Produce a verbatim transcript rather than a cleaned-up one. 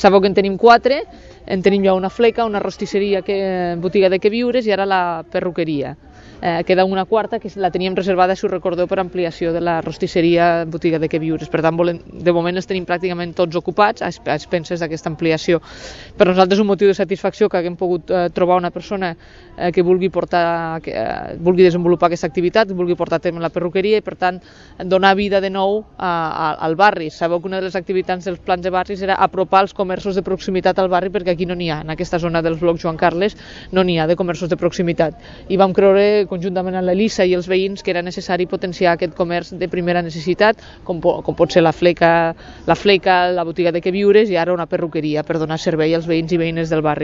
Sabeu que en tenim quatre, en tenim ja una fleca, una rostisseria, que, botiga de queviures i ara la perruqueria. Eh, queda una quarta que la teníem reservada, si us recordeu, per ampliació de la rostisseria, botiga de queviures. Per tant, volem, de moment els tenim pràcticament tots ocupats a expenses d'aquesta ampliació. Per nosaltres és un motiu de satisfacció que haguem pogut eh, trobar una persona eh, que vulgui portar, que eh, vulgui desenvolupar aquesta activitat, que vulgui portar a terme la perruqueria i, per tant, donar vida de nou a, a, al barri. Sabeu que una de les activitats dels plans de barris era apropar els comerços de proximitat al barri, perquè aquí no n'hi ha, en aquesta zona dels blocs Joan Carles no n'hi ha de comerços de proximitat. I vam creure, conjuntament amb l'Elisa i els veïns, que era necessari potenciar aquest comerç de primera necessitat, com, po com pot ser la fleca, la fleca, la botiga de queviures i ara una perruqueria, per donar servei als veïns i veïnes del barri.